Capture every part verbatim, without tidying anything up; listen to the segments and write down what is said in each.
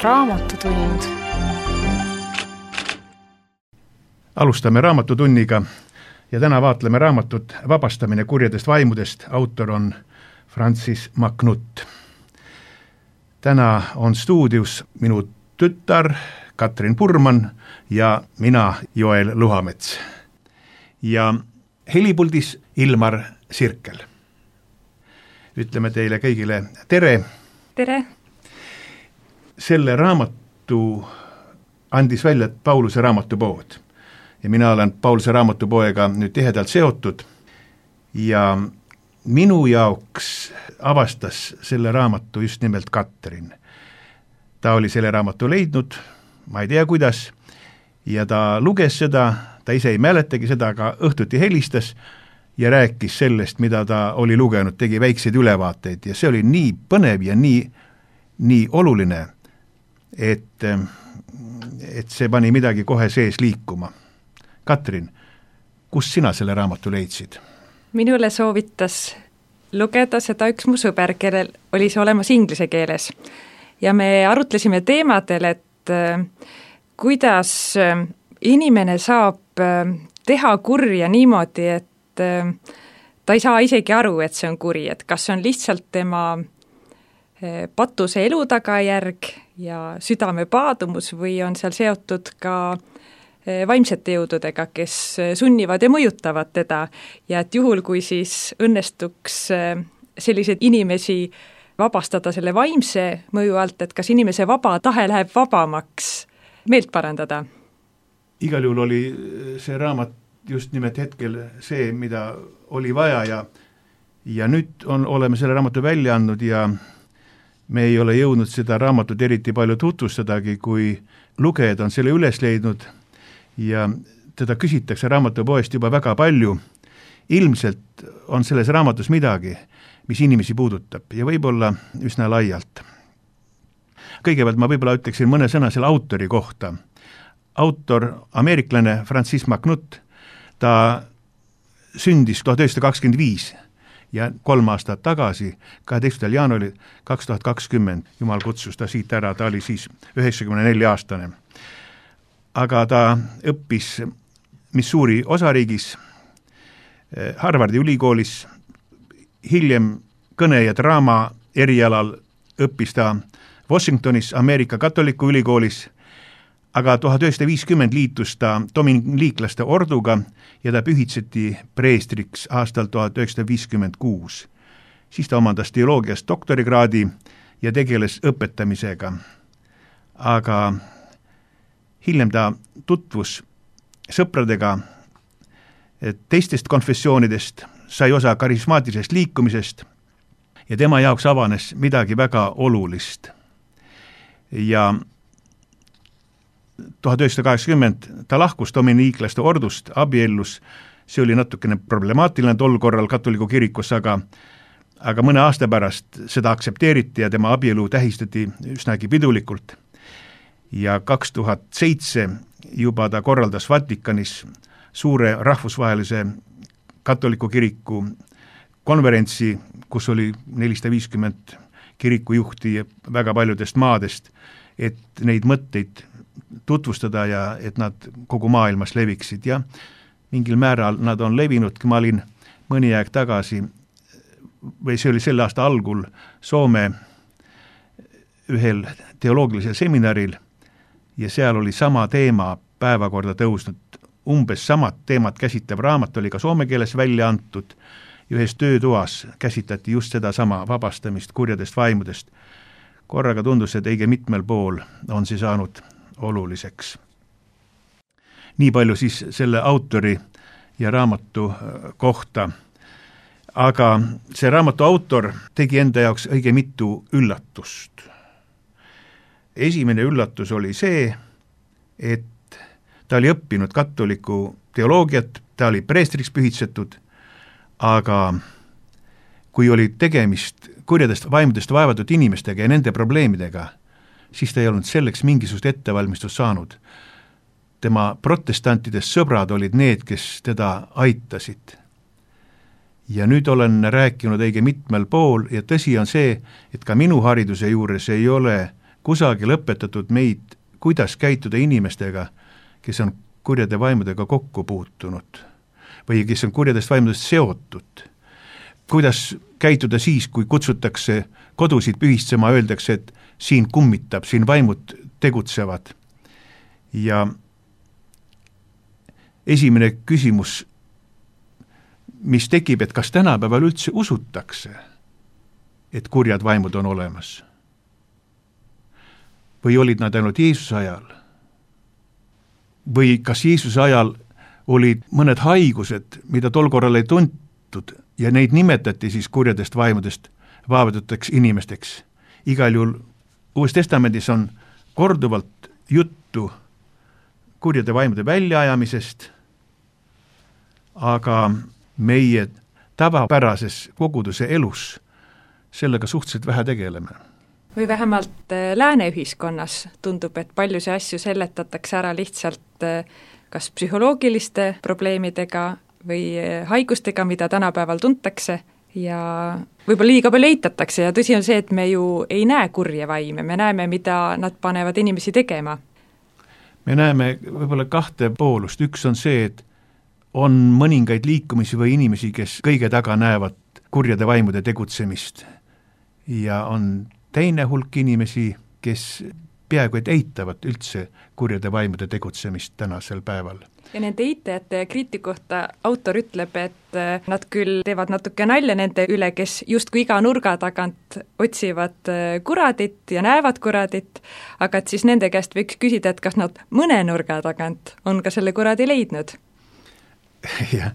raamatutund. Alustame raamatutunniga ja täna vaatleme raamatut Vabastamine kurjadest vaimudest. Autor on Francis MacNutt. Täna on stuudius minu tütar Katrin Purman ja mina, Joel Luhamets. Ja helipuldis Ilmar Sirkel. Ütleme teile kõigile tere. Tere. Selle raamatu andis välja Pauluse raamatupood. Ja mina olen Pauluse raamatupoega nüüd tihedalt seotud. Ja minu jaoks avastas selle raamatu just nimelt Katrin. Ta oli selle raamatu leidnud, ma ei tea kuidas, ja ta luges seda, ta ise ei mäletagi seda, aga õhtuti helistas ja rääkis sellest, mida ta oli lugenud, tegi väikseid ülevaateid ja see oli nii põnev ja nii, nii oluline, et, et see pani midagi kohe sees liikuma. Katrin, kus sina selle raamatu leidsid? Minule soovitas lugeda seda üks mu sõber, kellel oli see olemas inglise keeles. Ja me arutlesime teemadel, et äh, kuidas äh, inimene saab äh, teha kurja niimoodi, et äh, ta ei saa isegi aru, et see on kuri, et kas see on lihtsalt tema äh, patuse elu tagajärg ja südame paadumus või on seal seotud ka äh, vaimsete jõududega, kes äh, sunnivad ja mõjutavad teda ja et juhul, kui siis õnnestuks äh, selliseid inimesi vabastada selle vaimse mõju alt, et kas inimese vaba tahe läheb vabamaks meelt parandada? Igal juhul oli see raamat just nimelt hetkel see, mida oli vaja ja, ja nüüd on, oleme selle raamatu välja andnud ja me ei ole jõudnud seda raamatut eriti palju tutvustadagi, kui lugejad on selle üles leidnud ja teda küsitakse raamatupoest juba väga palju. Ilmselt on selles raamatus midagi, mis inimesi puudutab ja võib-olla üsna laialt. Kõigepealt ma võib-olla ütleksin mõne sõna selle autori kohta. Autor, ameeriklane Francis MacNutt, ta sündis tuhat üheksasada kakskümmend viis ja kolm aastat tagasi, kaheteistkümnendal jaanuaril kaks tuhat kakskümmend, Jumal kutsus ta siit ära, ta oli siis üheksakümne nelja aastane. Aga ta õppis Missouri osariigis, Harvardi ülikoolis, hiljem kõne ja draama erialal õppis ta Washingtonis Ameerika katoliku ülikoolis, aga tuhat üheksasada viiskümmend liitus ta dominiklaste orduga ja ta pühitseti preestriks aastal tuhat üheksasada viiskümmend kuus. Siis ta omandas teoloogias doktorikraadi ja tegeles õpetamisega. Aga hiljem ta tutvus sõpradega teistest konfessioonidest, sai osa karismaatilisest liikumisest ja tema jaoks avanes midagi väga olulist. Ja tuhat üheksasada kaheksakümmend ta lahkus dominiklaste ordust, abiellus, see oli natukene problemaatiline tol korral katoliku kirikus, aga, aga mõne aasta pärast seda aktsepteeriti ja tema abielu tähistati üsnagi pidulikult. Ja kaks tuhat seitse juba ta korraldas Vatikanis suure rahvusvahelise katoliku kiriku konverentsi, kus oli nelisada viiskümmend kirikujuhti väga paljudest maadest, et neid mõtteid tutvustada ja et nad kogu maailmas leviksid ja mingil määral nad on levinud. Ma olin mõni aeg tagasi, või see oli selle aasta algul, Soome ühel teoloogilisel seminaril ja seal oli sama teema päevakorda tõusnud. Umbes samad teemad käsitlev raamat oli ka soome keeles välja antud ja ühes töötoas käsitleti just seda sama vabastamist kurjadest vaimudest. Korraga tundus, et õige mitmel pool on see saanud oluliseks. Nii palju siis selle autori ja raamatu kohta. Aga see raamatu autor tegi enda jaoks õige mitu üllatust. Esimene üllatus oli see, et ta oli õppinud katoliku teoloogiat, ta oli preestriks pühitsetud, aga kui oli tegemist kurjadest vaimudest vaevatud inimestega ja nende probleemidega, siis ta ei olnud selleks mingisugust ettevalmistust saanud. Tema protestantidest sõbrad olid need, kes teda aitasid. Ja nüüd olen rääkinud õige mitmel pool ja tõsi on see, et ka minu hariduse juures ei ole kusagil õpetatud meid, kuidas käituda inimestega, kes on kurjade vaimudega kokku puutunud või kes on kurjadest vaimudest seotud. Kuidas käituda siis, kui kutsutakse kodusid pühistsema, öeldakse, et siin kummitab, siin vaimud tegutsevad. Ja esimene küsimus, mis tekib, et kas tänapäeval üldse usutakse, et kurjad vaimud on olemas? Või olid nad ainult Jeesuse ajal? Või kas Jeesuse ajal olid mõned haigused, mida tol korral ei tuntud ja neid nimetati siis kurjadest vaimudest vaevatuteks inimesteks? Igal juhul Uues Testamendis on korduvalt juttu kurjade vaimude väljaajamisest, aga meie tavapärases koguduse elus sellega suhteliselt vähe tegeleme. Või vähemalt lääne ühiskonnas tundub, et paljusi asju seletatakse ära lihtsalt kas psühholoogiliste probleemidega või haigustega, mida tänapäeval tuntakse ja võib-olla liiga palju eitatakse ja tõsi on see, et me ju ei näe kurje vaime, me näeme, mida nad panevad inimesi tegema. Me näeme võib-olla kahte poolust, üks on see, et on mõningaid liikumisi või inimesi, kes kõige taga näevad kurjade vaimude tegutsemist ja on teine hulk inimesi, kes peaaegu et eitavad üldse kurjade vaimude tegutsemist tänasel päeval. Ja nende eitajate ja kriitikohta autor ütleb, et nad küll teevad natuke nalja nende üle, kes justkui iga nurga tagant otsivad kuradit ja näevad kuradit, aga et siis nende käest võiks küsida, et kas nad mõne nurga tagant on ka selle kuradi leidnud. jah,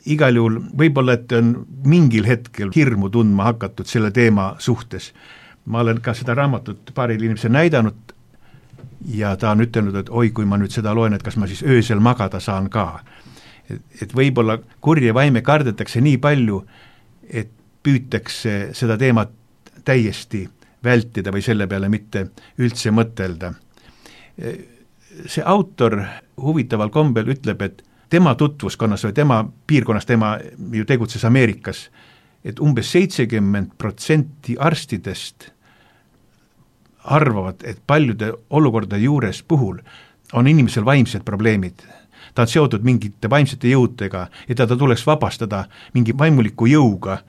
igal juhul võib-olla, et on mingil hetkel hirmu tundma hakatud selle teema suhtes. Ma olen ka seda raamatut paaril inimesel näidanud ja ta on ütelnud, et oi, kui ma nüüd seda loen, et kas ma siis öösel magada saan ka. Et, et võib-olla kurje vaime kardetakse nii palju, et püütakse seda teemat täiesti vältida või selle peale mitte üldse mõtelda. See autor huvitaval kombel ütleb, et tema tutvuskonnas või tema piirkonnas, tema ju tegutses Ameerikas, et umbes seitsekümmend protsenti arstidest arvavad, et paljude olukordade juures puhul on inimesel vaimsed probleemid. Ta on seotud mingite vaimsete jõudega ja ta tuleks vabastada mingi vaimuliku jõuga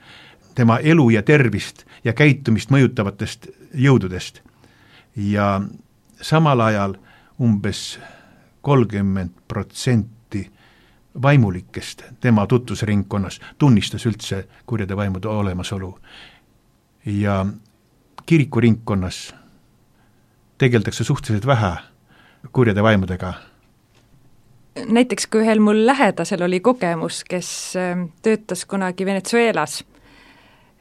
tema elu ja tervist ja käitumist mõjutavatest jõududest. Ja samal ajal umbes kolmkümmend protsenti vaimulikest tema tutvusringkonnas tunnistas üldse kurjade vaimude olemasolu. Ja kirikuringkonnas tegeldakse suhteliselt vähe kurjade vaimudega. Näiteks kui ühel mul lähedasel oli kogemus, kes töötas kunagi Venezuelas,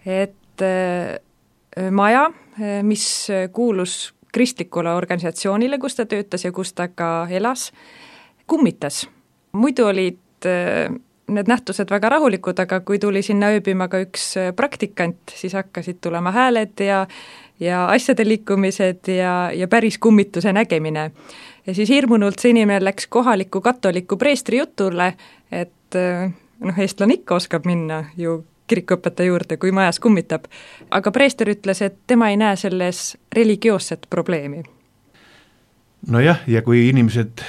et maja, mis kuulus kristlikule organisatsioonile, kus ta töötas ja kus ta ka elas, kummitas. Muidu olid need nähtused väga rahulikud, aga kui tuli sinna ööbima ka üks praktikant, siis hakkasid tulema hääled ja, ja asjade liikumised ja, ja päris kummituse nägemine. Ja siis hirmunult see inimene läks kohaliku katoliku preestri jutule, et noh, eestlane ikka oskab minna ju kirikuõpetaja juurde, kui majas kummitab. Aga preester ütles, et tema ei näe selles religioosset probleemi. No jah, ja kui inimesed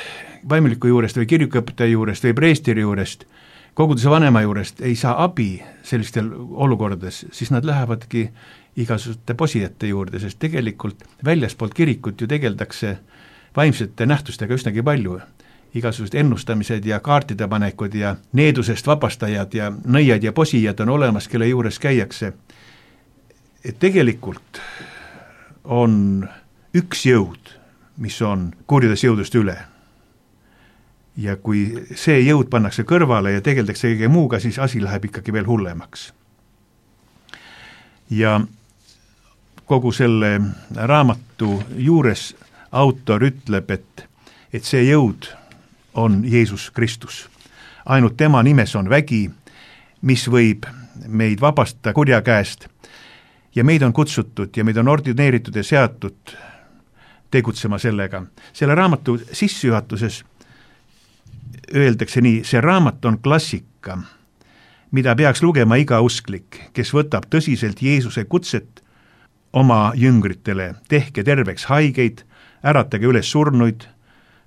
vaimuliku juurest või kirikuõpetaja juurest või preestri juurest, koguduse vanema juurest ei saa abi sellistel olukordades, siis nad lähevadki igasuguste posijate juurde, sest tegelikult väljaspoolt kirikut ju tegeldakse vaimsete nähtustega üsnagi palju. Igasugused ennustamised ja kaartide panekud ja needusest vabastajad ja nõiad ja posijad on olemas, kelle juures käiakse. Et tegelikult on üks jõud, mis on kurjades jõudust üle. Ja kui see jõud pannakse kõrvale ja tegeldakse kõige muuga, siis asi läheb ikkagi veel hullemaks. Ja kogu selle raamatu juures autor ütleb, et, et see jõud on Jeesus Kristus. Ainult tema nimes on vägi, mis võib meid vabastada kurja käest ja meid on kutsutud ja meid on ordineeritud ja seatud tegutsema sellega. Selle raamatu sissejuhatuses öeldakse nii, see raamat on klassika, mida peaks lugema iga usklik, kes võtab tõsiselt Jeesuse kutset oma jüngritele, tehke terveks haigeid, äratage üles surnuid,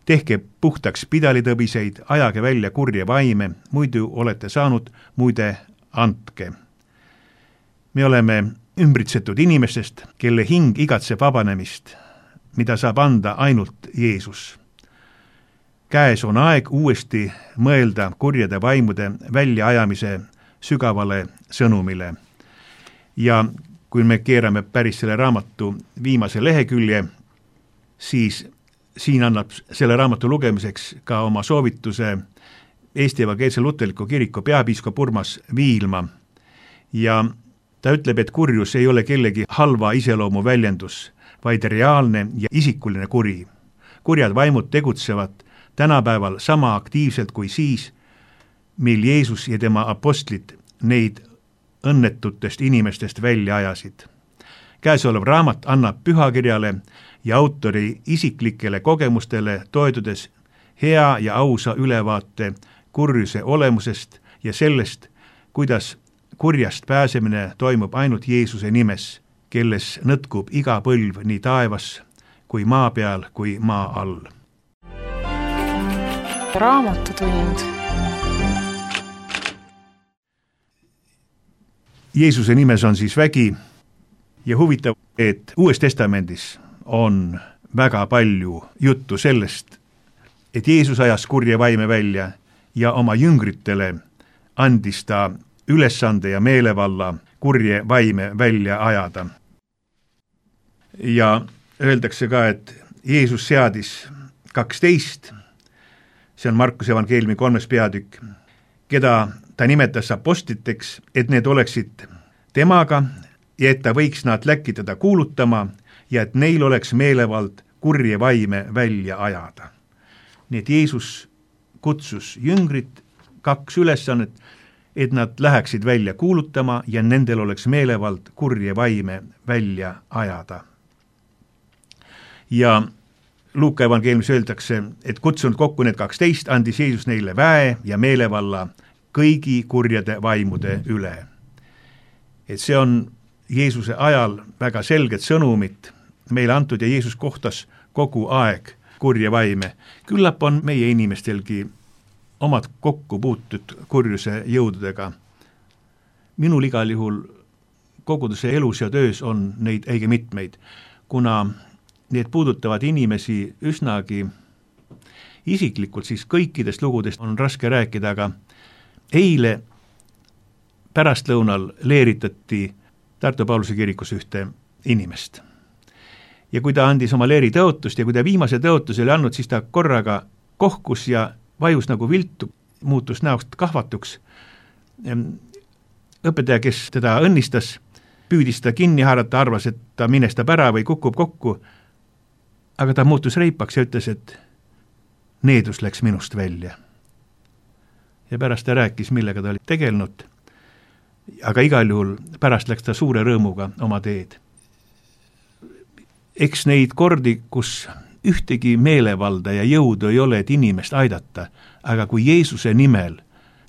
tehke puhtaks pidalitõbiseid, ajage välja kurje vaime, muidu olete saanud, muide andke. Me oleme ümbritsetud inimestest, kelle hing igatseb vabanemist, mida saab anda ainult Jeesus. Käes on aeg uuesti mõelda kurjade vaimude väljaajamise sügavale sõnumile. Ja kui me keerame päris selle raamatu viimase lehekülje, siis siin annab selle raamatu lugemiseks ka oma soovituse Eesti Evangeelse Luterliku Kiriku peapiiskop Urmas Viilma. Ja ta ütleb, et kurjus ei ole kellegi halva iseloomu väljendus, vaid reaalne ja isikuline kuri. Kurjad vaimud tegutsevad tänapäeval sama aktiivselt kui siis, mil Jeesus ja tema apostlid neid õnnetutest inimestest välja ajasid. Käesolev raamat annab pühakirjale ja autori isiklikele kogemustele toetudes hea ja ausa ülevaate kurjuse olemusest ja sellest, kuidas kurjast pääsemine toimub ainult Jeesuse nimes, kelles nõtkub iga põlv nii taevas kui maa peal kui maa all. Raamatutund. Jeesuse nimes on siis vägi ja huvitav, et Uues Testamendis on väga palju juttu sellest, et Jeesus ajas kurje vaime välja ja oma jüngritele andis ta ülesande ja meelevalla kurje vaime välja ajada. Ja öeldakse ka, et Jeesus seadis kaksteist, see on Markuse evangeeliumi kolmes peatükk, keda ta nimetas apostliteks, et need oleksid temaga ja et ta võiks nad läkitada kuulutama ja et neil oleks meelevald kurje vaime välja ajada. Nii et Jeesus kutsus jüngrid kaks ülesannet, et nad läheksid välja kuulutama ja nendel oleks meelevald kurje vaime välja ajada. Ja Luuka evangeeliumis öeldakse, et kutsunud kokku need kaksteist, andis Jeesus neile väe ja meelevalla kõigi kurjade vaimude üle. Et see on Jeesuse ajal väga selget sõnumit meile antud ja Jeesus kohtas kogu aeg kurje vaime. Küllap on meie inimestelgi omad kokku puutud kurjuse jõududega. Minul igal juhul koguduse elus ja töös on neid õige mitmeid, kuna need puudutavad inimesi üsnagi isiklikult, siis kõikidest lugudest on raske rääkida, aga eile pärastlõunal leeritati Tartu Pauluse kirikus ühte inimest. Ja kui ta andis oma leeri tõotust ja kui ta viimase tõotuse oli andnud, siis ta korraga kohkus ja vajus nagu viltu, muutus näost kahvatuks. Õpetaja, kes teda õnnistas, püüdis ta kinni haarata, arvas, et ta minestab ära või kukub kokku, aga ta muutus reipaks ja ütles, et needus läks minust välja. Ja pärast ta rääkis, millega ta oli tegelenud, aga igal juhul pärast läks ta suure rõõmuga oma teed. Eks neid kordi, kus ühtegi meelevalda ja jõudu ei ole, et inimest aidata, aga kui Jeesuse nimel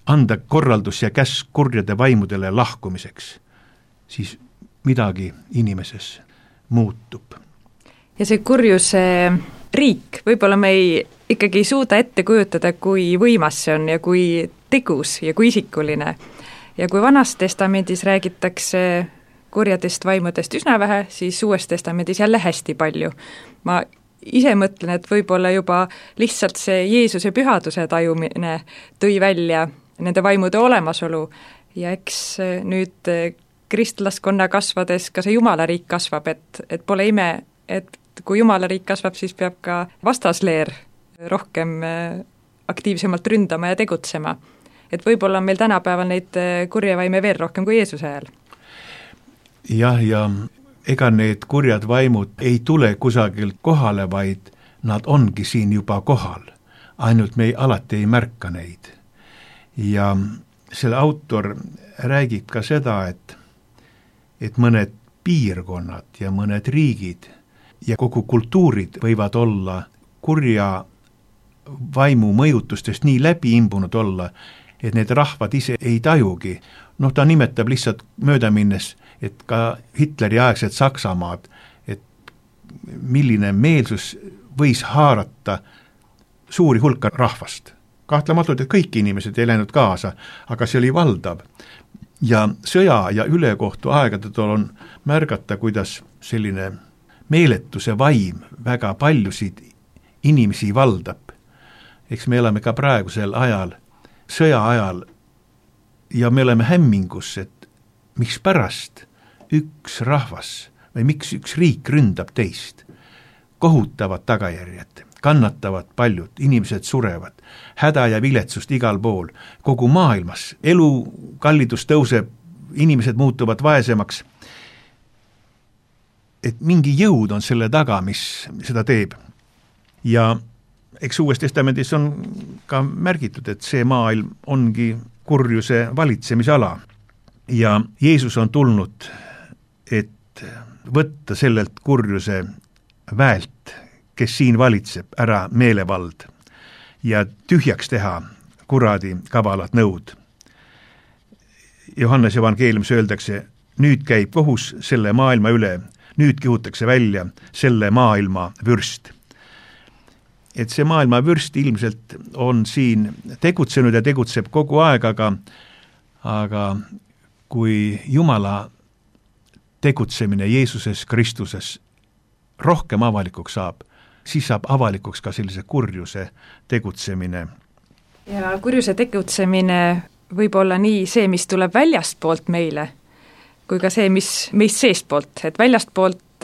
anda korraldus ja käsk kurjade vaimudele lahkumiseks, siis midagi inimeses muutub. Ja see kurjuse riik, võib-olla me ei, ikkagi ei suuda ette kujutada, kui võimas see on ja kui tegus ja kui isikuline. Ja kui Vanas testamendis räägitakse kurjadest vaimudest üsna vähe, siis Uues testamendis jälle hästi palju. Ma ise mõtlen, et võib-olla juba lihtsalt see Jeesuse pühaduse tajumine tõi välja nende vaimude olemasolu ja eks nüüd kristlaskonna kasvades ka see Jumalariik kasvab, et, et pole ime, et kui Jumalariik kasvab, siis peab ka vastasleer rohkem aktiivsemalt ründama ja tegutsema. Et võib-olla on meil tänapäeval neid kurjevaime veel rohkem kui Jeesuse ajal. Jah, ja ega need kurjad vaimud ei tule kusagilt kohale, vaid nad ongi siin juba kohal. Ainult me ei, alati ei märka neid. Ja selle autor räägib ka seda, et, et mõned piirkonnad ja mõned riigid ja kogu kultuurid võivad olla kurja vaimu mõjutustest nii läbi imbunud olla, et need rahvad ise ei tajugi. Noh, ta nimetab lihtsalt mööda minnes, et ka Hitleri aegsed Saksamaad, et milline meelsus võis haarata suuri hulka rahvast. Kahtlematult, et kõik inimesed ei läinud kaasa, aga see oli valdav. Ja sõja ja ülekohtu aegadel on märgata, kuidas selline meeletuse vaim väga paljusid inimesi valdab. Eks me elame ka praegusel ajal, sõja ajal, ja me oleme hämmingus, et miks pärast üks rahvas või miks üks riik ründab teist. Kohutavad tagajärjed, kannatavad paljud, inimesed surevad, häda ja viletsust igal pool, kogu maailmas, elu kallidus tõuseb, inimesed muutuvad vaesemaks, et mingi jõud on selle taga, mis seda teeb. Ja eks Uues Testamendis on ka märgitud, et see maailm ongi kurjuse valitsemisala ja Jeesus on tulnud, et võtta sellelt kurjuse väelt, kes siin valitseb, ära meelevald ja tühjaks teha kuradi kavalad nõud. Johannes evangeeliumis öeldakse, nüüd käib kohus selle maailma üle, nüüd kihutakse välja selle maailma vürst. Et see maailma vürst ilmselt on siin tegutsenud ja tegutseb kogu aeg, aga, aga kui Jumala tegutsemine Jeesuses Kristuses rohkem avalikuks saab, siis saab avalikuks ka sellise kurjuse tegutsemine. Ja kurjuse tegutsemine võib olla nii see, mis tuleb väljastpoolt meile, kui ka see, mis meist seestpoolt, et väljastpoolt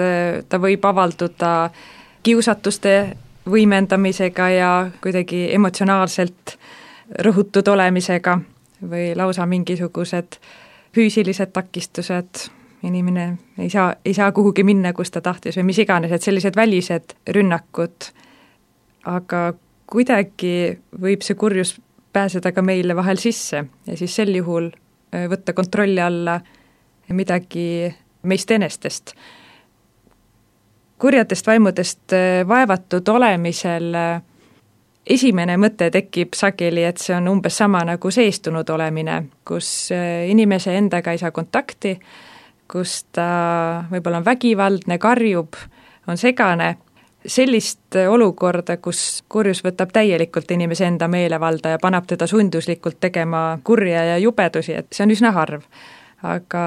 ta võib avalduda kiusatuste võimendamisega ja kuidagi emotsionaalselt rõhutud olemisega või lausa mingisugused füüsilised takistused, inimene ei saa, ei saa kuhugi minna, kus ta tahtis või mis iganes, et sellised välised rünnakud, aga kuidagi võib see kurjus pääseda ka meile vahel sisse ja siis sel juhul võtta kontrolli alla midagi meist enestest. Kurjadest vaimudest vaevatud olemisel esimene mõte tekib sageli, et see on umbes sama nagu seestunud olemine, kus inimese endaga ei saa kontakti, kus ta võib-olla on vägivaldne, karjub, on segane, sellist olukorda, kus kurjus võtab täielikult inimese enda meelevalda ja paneb teda sunduslikult tegema kurja ja jubedusi, et see on üsna harv. Aga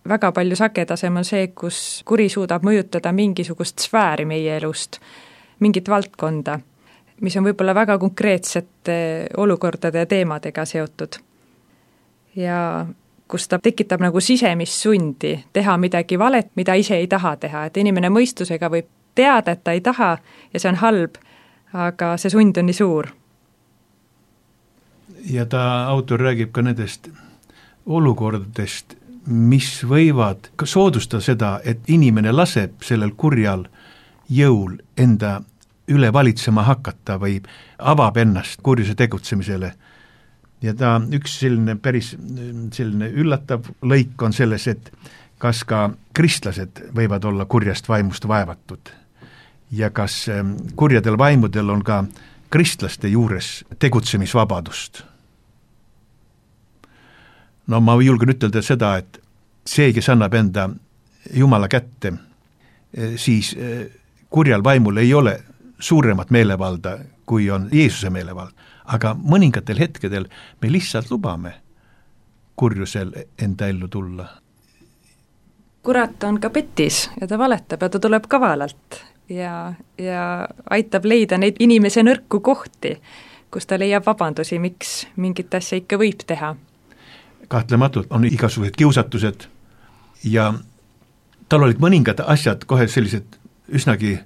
väga palju sagedasem on see, kus kuri suudab mõjutada mingisugust sfääri meie elust, mingit valdkonda, mis on võib-olla väga konkreetsete olukordade ja teemadega seotud. Ja kus ta tekitab nagu sisemist sundi teha midagi valet, mida ise ei taha teha, et inimene mõistusega võib teada, et ta ei taha ja see on halb, aga see sund on nii suur. Ja ta autor räägib ka nendest olukordadest, mis võivad soodustada seda, et inimene laseb sellel kurjal jõul enda üle valitsema hakata või avab ennast kurjuse tegutsemisele. Ja ta üks selline päris selline üllatav lõik on selles, et kas ka kristlased võivad olla kurjast vaimust vaevatud ja kas kurjadel vaimudel on ka kristlaste juures tegutsemisvabadust. No ma julgen ütelda seda, et see, kes annab enda Jumala kätte, siis kurjal vaimul ei ole suuremat meelevalda, kui on Jeesuse meelevald. Aga mõningatel hetkedel me lihtsalt lubame kurjusel enda ellu tulla. Kurat on ka petis ja ta valetab ja ta tuleb kavalalt ja, ja aitab leida neid inimese nõrku kohti, kus ta leiab vabandusi, miks mingit asja ikka võib teha. Kahtlematult on igasugused kiusatused ja tal olid mõningad asjad kohe sellised üsnagi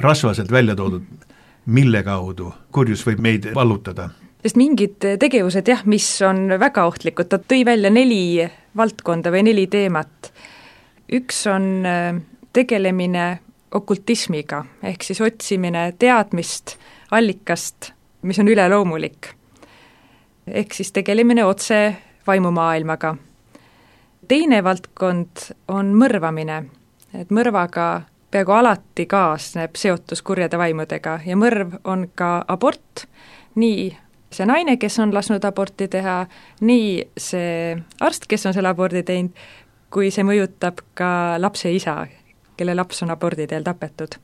rasvaselt välja toodud, mille kaudu kurjus võib meid vallutada. Sest mingid tegevused, jah, mis on väga ohtlikud, ta tõi välja neli valdkonda või neli teemat. Üks on tegelemine okultismiga, ehk siis otsimine teadmist, allikast, mis on üleloomulik. Ehk siis tegelemine otse vaimumaailmaga. Teine valdkond on mõrvamine, et mõrvaga peaaegu alati kaasneb seotus kurjade vaimudega ja mõrv on ka abort, nii see naine, kes on lasknud aborti teha, nii see arst, kes on selle abordi teinud, kui see mõjutab ka lapse isa, kelle laps on abordi teel tapetud.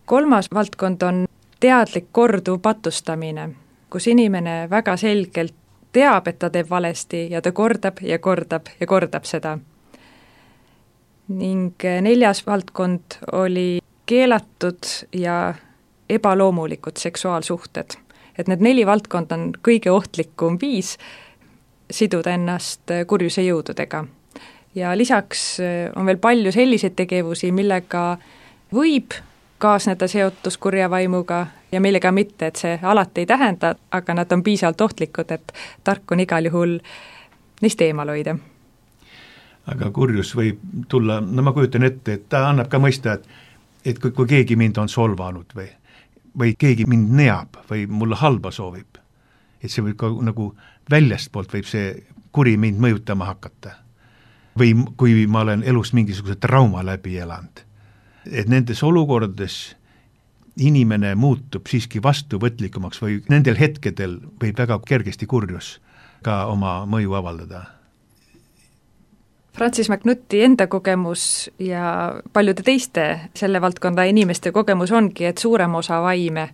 Kolmas valdkond on teadlik korduv patustamine, kus inimene väga selgelt teab, et ta teeb valesti ja ta kordab ja kordab ja kordab seda. Ning neljas valdkond oli keelatud ja ebaloomulikud seksuaalsuhted. Et need neli valdkond on kõige ohtlikum viis siduda ennast kurjuse jõududega. Ja lisaks on veel palju selliseid tegevusi, millega võib kaasneda seotus kurja vaimuga ja millega mitte, et see alati ei tähenda, aga nad on piisavalt ohtlikud, et tark on igal juhul neist eemal hoida. Aga kurjus võib tulla, no ma kujutan ette, et ta annab ka mõista, et, et kui, kui keegi mind on solvanud või, või keegi mind neab või mulle halba soovib, et see võib ka nagu väljastpoolt võib see kuri mind mõjutama hakata. Või kui ma olen elus mingisuguse trauma läbi elanud. Et nendes olukordades inimene muutub siiski vastuvõtlikumaks või nendel hetkedel võib väga kergesti kurjus ka oma mõju avaldada. Francis McNutti enda kogemus ja paljude teiste selle valdkonda inimeste kogemus ongi, et suurem osa vaime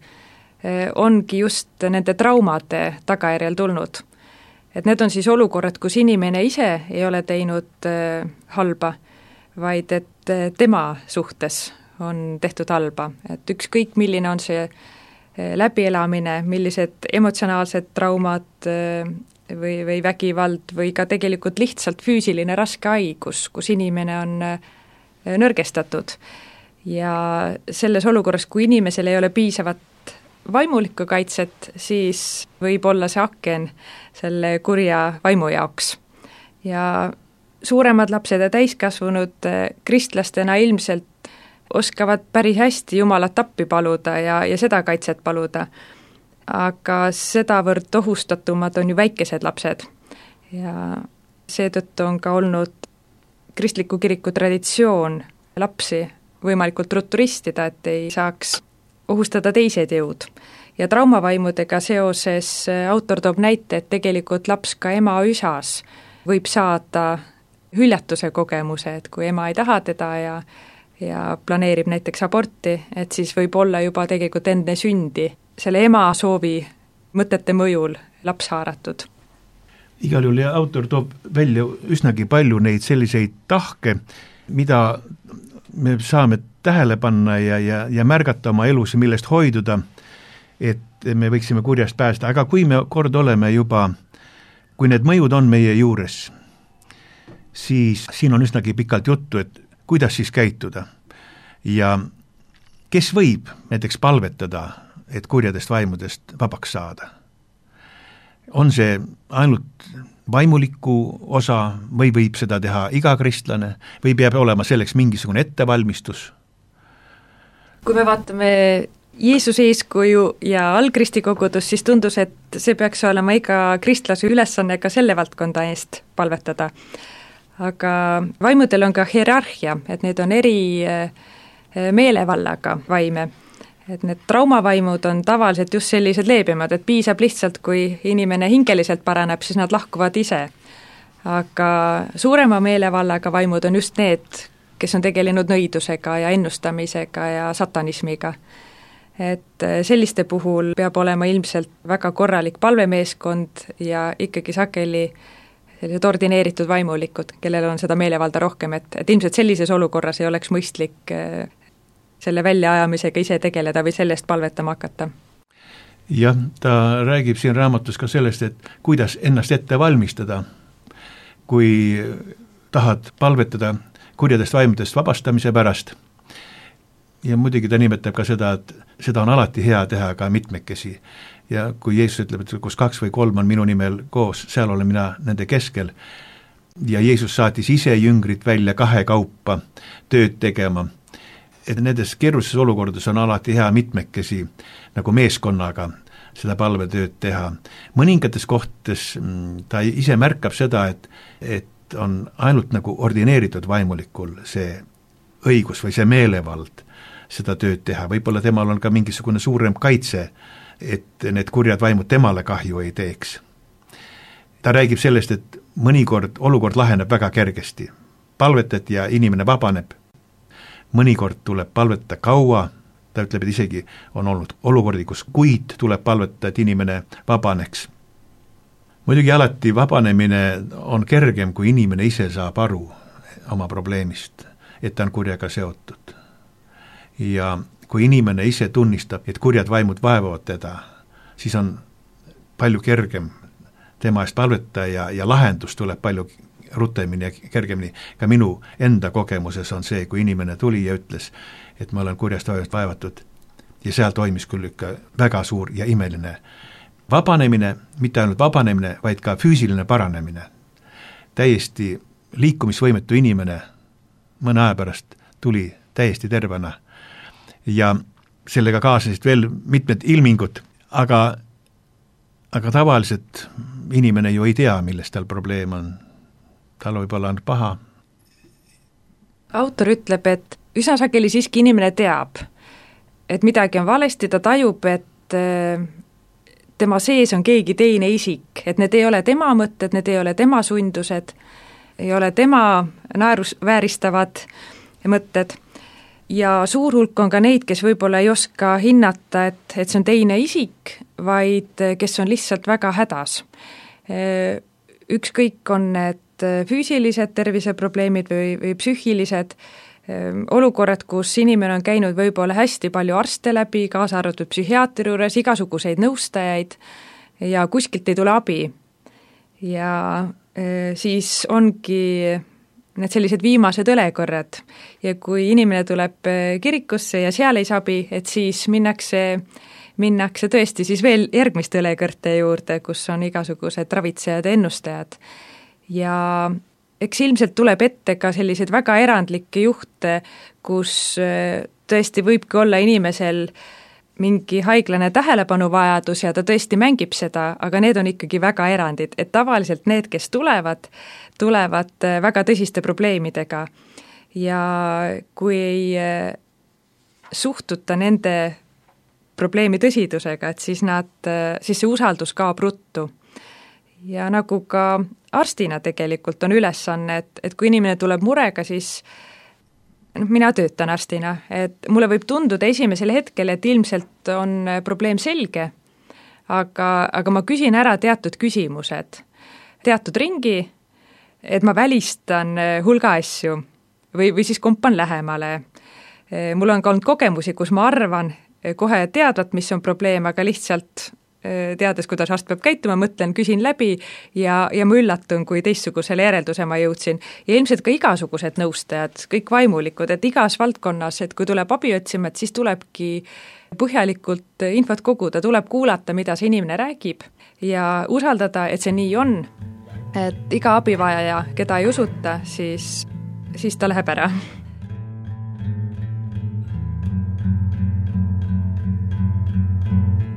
ongi just nende traumade tagajärjel tulnud. Et need on siis olukorrad, kus inimene ise ei ole teinud halba, vaid et tema suhtes on tehtud halba. Et ükskõik milline on see läbielamine, millised emotsionaalsed traumad või, või vägivald või ka tegelikult lihtsalt füüsiline raske haigus, kus inimene on nõrgestatud. Ja selles olukorras, kui inimesel ei ole piisavat vaimulikku kaitset, siis võib olla see aken selle kurja vaimu jaoks. Ja suuremad lapsed ja täiskasvanud kristlastena ilmselt oskavad päris hästi Jumalat appi paluda ja, ja seda kaitset paluda. Aga sedavõrd ohustatumad on ju väikesed lapsed. Ja seetõttu on ka olnud kristliku kiriku traditsioon lapsi võimalikult ruttu ristida, et ei saaks ohustada teised jõud. Ja traumavaimudega seoses autor toob näite, et tegelikult laps ka ema üsas võib saada hüljatuse kogemuse, et kui ema ei taha teda ja, ja planeerib näiteks aborti, et siis võib olla juba tegelikult enne sündi selle ema soovi mõtete mõjul laps haaratud. Igal juhul ja autor toob välja üsnagi palju neid selliseid tahke, mida me saame tähele panna ja, ja, ja märgata oma elus ja millest hoiduda, et me võiksime kurjast päästa, aga kui me kord oleme juba, kui need mõjud on meie juures, siis siin on üsnagi pikalt juttu, et kuidas siis käituda ja kes võib näiteks palvetada, et kurjadest vaimudest vabaks saada. On see ainult vaimuliku osa või võib seda teha iga kristlane või peab olema selleks mingisugune ettevalmistus? Kui me vaatame Jeesuse eeskuju ja algristikogudus, siis tundus, et see peaks olema iga kristlase ülesanne ka selle valdkonda eest palvetada. Aga vaimudel on ka hierarhia, et need on eri meelevallaga vaime. Et need traumavaimud on tavaliselt just sellised leebemad, et piisab lihtsalt, kui inimene hingeliselt paraneb, siis nad lahkuvad ise. Aga suurema meelevallaga vaimud on just need, kes on tegelenud nõidusega ja ennustamisega ja satanismiga. Et selliste puhul peab olema ilmselt väga korralik palvemeeskond ja ikkagi sageli sellised ordineeritud vaimulikud, kellel on seda meelevalda rohkem, et, et ilmselt sellises olukorras ei oleks mõistlik selle väljaajamisega ise tegeleda või sellest palvetama hakata. Jah, ta räägib siin raamatus ka sellest, et kuidas ennast ette valmistada, kui tahad palvetada kurjadest vaimudest vabastamise pärast. Ja muidugi ta nimetab ka seda, et seda on alati hea teha ka mitmekesi. Ja kui Jeesus ütleb, et kus kaks või kolm on minu nimel koos, seal olen mina nende keskel. Ja Jeesus saatis ise jüngrid välja kahe kaupa tööd tegema. Et nendes keerulises olukordades on alati hea mitmekesi nagu meeskonnaga seda palvetööd teha. Mõningates kohtades ta ise märkab seda, et, et on ainult nagu ordineeritud vaimulikul see õigus või see meelevald seda tööd teha. Võib-olla temal on ka mingisugune suurem kaitse, et need kurjad vaimud temale kahju ei teeks. Ta räägib sellest, et mõnikord olukord laheneb väga kergesti. Palvetad ja inimene vabaneb. Mõnikord tuleb palvetada kaua, ta ütleb, et isegi on olnud olukordi, kus kuid tuleb palvetada, et inimene vabaneks. Muidugi alati vabanemine on kergem, kui inimene ise saab aru oma probleemist, et ta on kurjaga seotud. Ja kui inimene ise tunnistab, et kurjad vaimud vaevavad teda, siis on palju kergem tema eest palvetada ja, ja lahendus tuleb palju rutemini ja kergemini. Ka minu enda kogemuses on see, kui inimene tuli ja ütles, et ma olen kurjast vaevatud ja seal toimis küll ikka väga suur ja imeline vabanemine, mitte ainult vabanemine, vaid ka füüsiline paranemine. Täiesti liikumisvõimetu inimene mõne aja pärast tuli täiesti tervena ja sellega kaasasid veel mitmed ilmingud, aga, aga tavaliselt inimene ju ei tea, milles tal probleem on. Tal võib-olla on paha. Autor ütleb, et üsna sageli siiski inimene teab, et midagi on valesti, ta tajub, et tema sees on keegi teine isik, et need ei ole tema mõtted, need ei ole tema sundused, ei ole tema naerus vääristavad mõtted ja suur hulk on ka neid, kes võib-olla ei oska hinnata, et, et see on teine isik, vaid kes on lihtsalt väga hädas. Ükskõik on need füüsilised terviseprobleemid või, või psüühilised olukorrad, kus inimene on käinud võib-olla hästi palju arste läbi, kaasa arvatud psühhiaatri juures, igasuguseid nõustajaid ja kuskilt ei tule abi. Ja siis ongi need sellised viimased õlekorrad ja kui inimene tuleb kirikusse ja seal ei saa abi, et siis minnakse, minnakse tõesti siis veel järgmiste õlekõrte juurde, kus on igasugused ravitsejad ja ennustajad. Ja eks ilmselt tuleb ette ka sellised väga erandlikke juhte, kus tõesti võibki olla inimesel mingi haiglane tähelepanuvajadus ja ta tõesti mängib seda, aga need on ikkagi väga erandid, et tavaliselt need, kes tulevad, tulevad väga tõsiste probleemidega ja kui ei suhtuta nende probleemi tõsidusega, et siis nad, siis see usaldus kaob ruttu. Ja nagu ka arstina tegelikult on ülesanne, et, et kui inimene tuleb murega, siis noh, mina töötan arstina, et mulle võib tunduda esimesel hetkel, et ilmselt on probleem selge, aga, aga ma küsin ära teatud küsimused, teatud ringi, et ma välistan hulga asju või, või siis kompan lähemale. Mul on ka olnud kogemusi, kus ma arvan kohe teadvat, mis on probleem, aga lihtsalt teades, kuidas arst peab käituma, mõtlen, küsin läbi ja, ja ma üllatun, kui teistsugusele järelduse ma jõudsin. Ja ilmselt ka igasugused nõustajad, kõik vaimulikud, et igas valdkonnas, et kui tuleb abi otsima, et siis tulebki põhjalikult infot koguda, tuleb kuulata, mida see inimene räägib ja usaldada, et see nii on, et iga abivajaja, keda ei usuta, siis, siis ta läheb ära.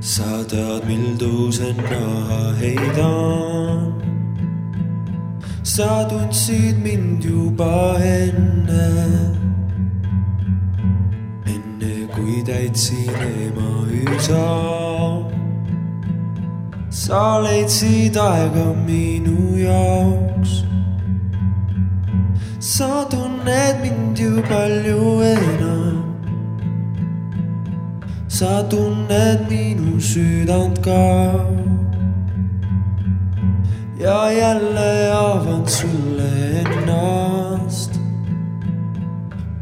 Sa tead, mildu see naha heidan. Sa tundsid mind juba enne, enne kui täitsin ema üsa. Sa leidsid aega minu jaoks. Sa tunned mind ju palju enam. Sa tunned minu südant ka ja jälle avan sulle ennast,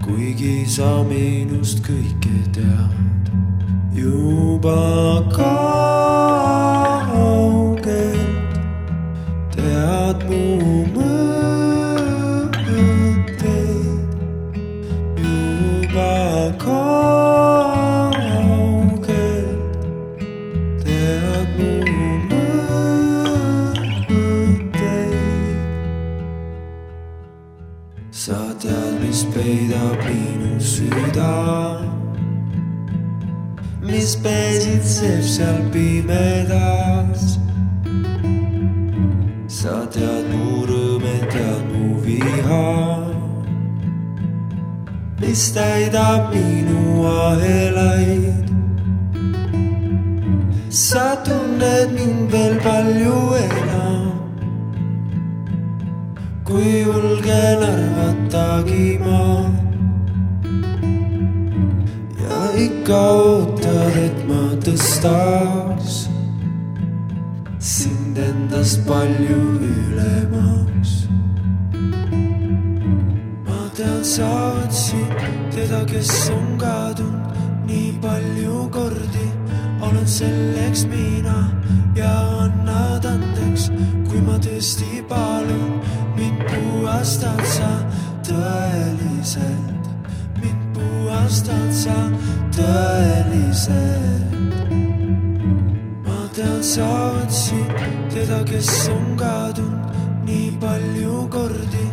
kuigi sa minust kõike tead juba kaugelt, tead mu mõtteid juba kaugelt. Peidab minu süda, mis pesitseb seal pimedas. Sa tead mu rõõme, tead mu viha, mis täidab minu ahelaid. Sa tunned mind veel palju enam, kui julgen arvatagi ma. Ja ikka ootad, et ma tõstaks sind endast palju ülemaks. Ma tean, sa otsid teda, kes on kadunud nii palju kordi. Olen selleks mina ja annad andeks, kui ma tõesti palun. Mind puhastad sa tõeliselt, mind puhastad sa tõeliselt. Ma tean, sa otsid teda, kes on kadunud nii palju kordi.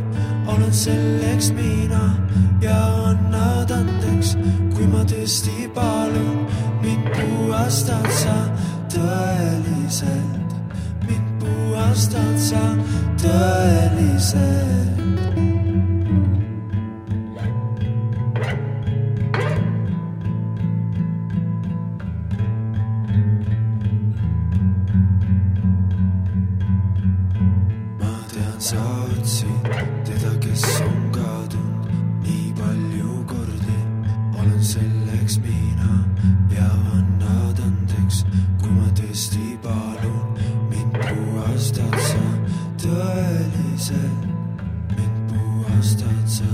Olen selleks mina ja annad andeks, kui ma tõesti palun. Mind puhastad sa tõeliselt, mind puhastad sa tõeliselt. Ma tean, sa otsid teda, kes on kadunud nii palju kordi. Olen selleks mina ja annad andeks, kui ma tõesti palun. Mind puhastad sa tõeliselt, mind puhastad sa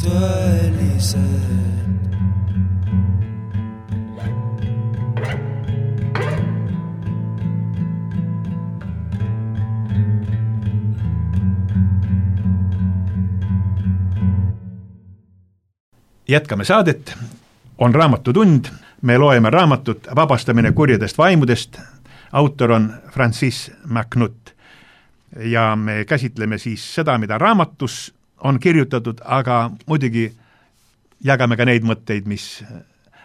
tõeliselt. Jätkame saadet, on raamatutund, me loeme raamatut Vabastamine kurjadest vaimudest, autor on Francis MacNutt ja me käsitleme siis seda, mida raamatus on kirjutatud, aga muidugi jagame ka neid mõtteid, mis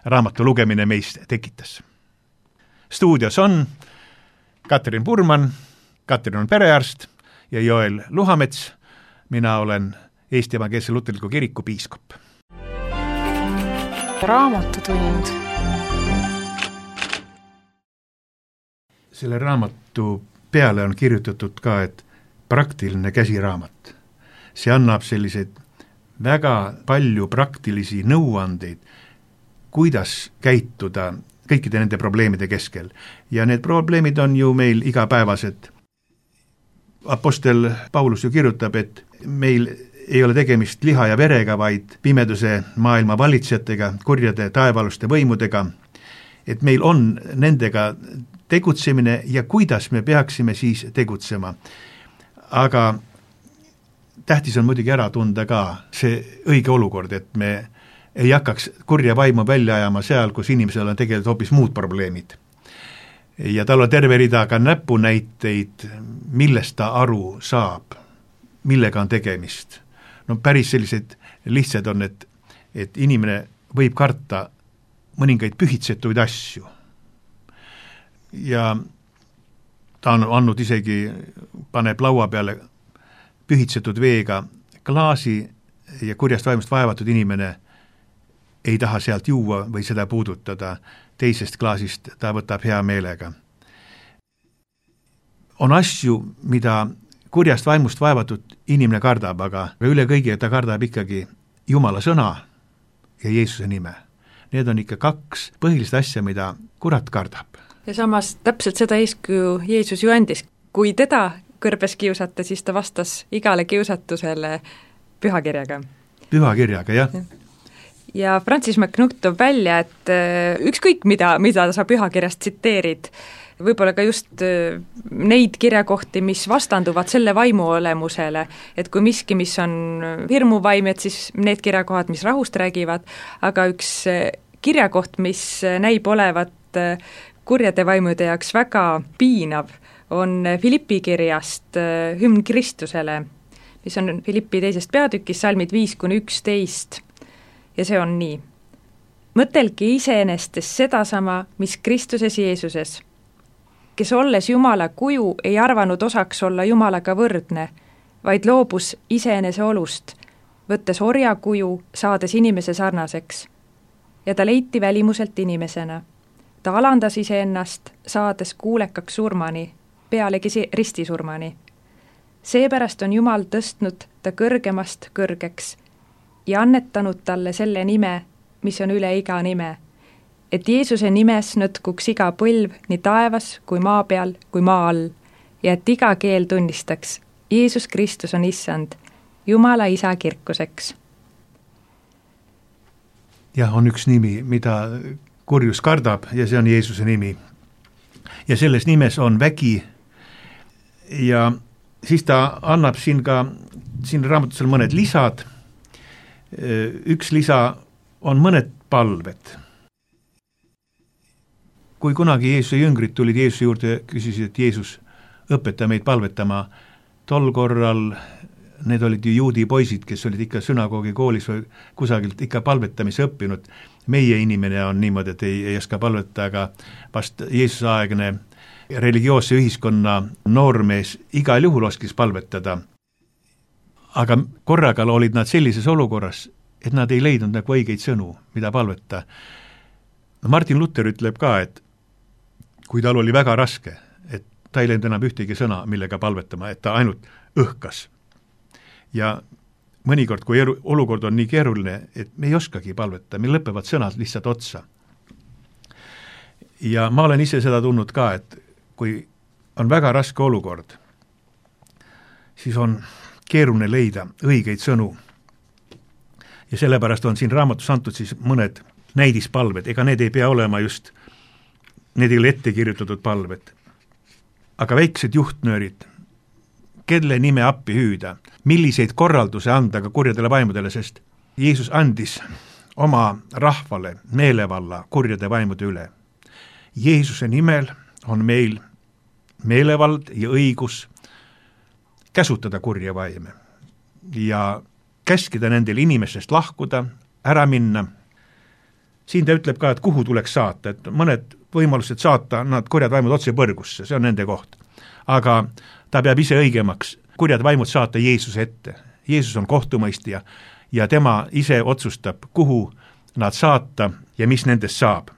raamatu lugemine meist tekitas. Stuudios on Katrin Purman, Katrin on perearst ja Joel Luhamets, mina olen Eesti Evangeelse Luterliku Kiriku piiskop. Raamatutund. Selle raamatu peale on kirjutatud ka, et praktiline käsiraamat. See annab selliseid väga palju praktilisi nõuandeid, kuidas käituda kõikide nende probleemide keskel. Ja need probleemid on ju meil igapäevased. Apostel Paulus ju kirjutab, et meil ei ole tegemist liha ja verega, vaid pimeduse maailma valitsejatega, kurjade taevaluste võimudega, et meil on nendega tegutsemine ja kuidas me peaksime siis tegutsema. Aga tähtis on muidugi ära tunda ka see õige olukord, et me ei hakkaks kurja vaimu välja ajama seal, kus inimesel on tegelikult hoopis muud probleemid. Ja tal on terve rida ka näpunäiteid, millest ta aru saab, millega on tegemist. No päris sellised lihtsad on, et, et inimene võib karta mõningaid pühitsetuid asju. Ja ta on andnud isegi, paneb laua peale pühitsetud veega klaasi ja kurjast vaimust vaevatud inimene ei taha sealt juua või seda puudutada. Teisest klaasist ta võtab hea meelega. On asju, mida kurjast vaimust vaevatud inimene kardab, aga üle kõige ta kardab ikkagi Jumala sõna ja Jeesuse nime. Need on ikka kaks põhilist asja, mida kurat kardab. Ja samas täpselt seda eeskuju Jeesus ju andis. Kui teda kõrbes kiusata, siis ta vastas igale kiusatusele pühakirjaga. Pühakirjaga, jah. Ja Francis MacNutt toob välja, et ükskõik mida, mida sa pühakirjast tsiteerid, võib-olla ka just neid kirjakohti, mis vastanduvad selle vaimu olemusele, et kui miski, mis on hirmuvaim, et siis need kirjakohad, mis rahust räägivad, aga üks kirjakoht, mis näib olevat kurjade vaimude jaoks väga piinav, on Filippi kirjast hümn Kristusele, mis on Filippi teisest peatükis, salmid viis kuni üksteist, ja see on nii. Mõtelge iseenestes sedasama, mis Kristuses Jeesuses, kes olles Jumala kuju ei arvanud osaks olla Jumalaga võrdne, vaid loobus iseenese olust, võttes orja kuju, saades inimese sarnaseks. Ja ta leiti välimuselt inimesena. Ta alandas iseennast, saades kuulekaks surmani, pealegi ristisurmani. seepärast on Jumal tõstnud ta kõrgemast kõrgeks ja annetanud talle selle nime, mis on üle iga nime, et Jeesuse nimes nõtkuks iga põlv nii taevas kui maa peal kui maa all ja et iga keel tunnistaks, Jeesus Kristus on issand, Jumala isa kirkuseks. jah, on üks nimi, mida kurjus kardab ja see on Jeesuse nimi. Ja selles nimes on vägi ja siis ta annab siin ka, siin raamatusel mõned lisad, üks lisa on mõned palved. Kui kunagi Jeesuse jüngrid tulid Jeesuse juurde, küsisid, et Jeesus õpeta meid palvetama, tol korral need olid ju juudi poisid, kes olid ikka sünagoogi koolis või kusagilt ikka palvetamise õppinud. Meie inimene on niimoodi, et ei, ei oska palvetada, aga vast Jeesuse aegne religioosse ühiskonna noormees igal juhul oskis palvetada. Aga korraga olid nad sellises olukorras, et nad ei leidnud nagu õigeid sõnu, mida palveta. Martin Luther ütleb ka, et kui tal oli väga raske, et ta ei leidnud enam ühtegi sõna, millega palvetama, et ta ainult õhkas. Ja mõnikord, kui eru, olukord on nii keeruline, et me ei oskagi palveta, meil lõpevad sõnad lihtsalt otsa. Ja ma olen ise seda tundnud ka, et kui on väga raske olukord, siis on keeruline leida õigeid sõnu. Ja sellepärast on siin raamatus antud siis mõned näidispalved, ega need ei pea olema just, need ei ole ette kirjutatud palved. Aga väiksed juhtnöörid, kelle nime appi hüüda, milliseid korralduse anda ka kurjadele vaimudele, sest Jeesus andis oma rahvale meelevalla kurjade vaimude üle. Jeesuse nimel on meil meelevald ja õigus käsutada kurja vaime ja käskida nendel inimestest lahkuda, ära minna. Siin ta ütleb ka, et kuhu tuleks saata, et mõned võimalused saata nad kurjad vaimud otse põrgusse, see on nende koht. Aga ta peab ise õigemaks kurjad vaimud saata Jeesuse ette. Jeesus on kohtumõistja ja tema ise otsustab, kuhu nad saata ja mis nendest saab.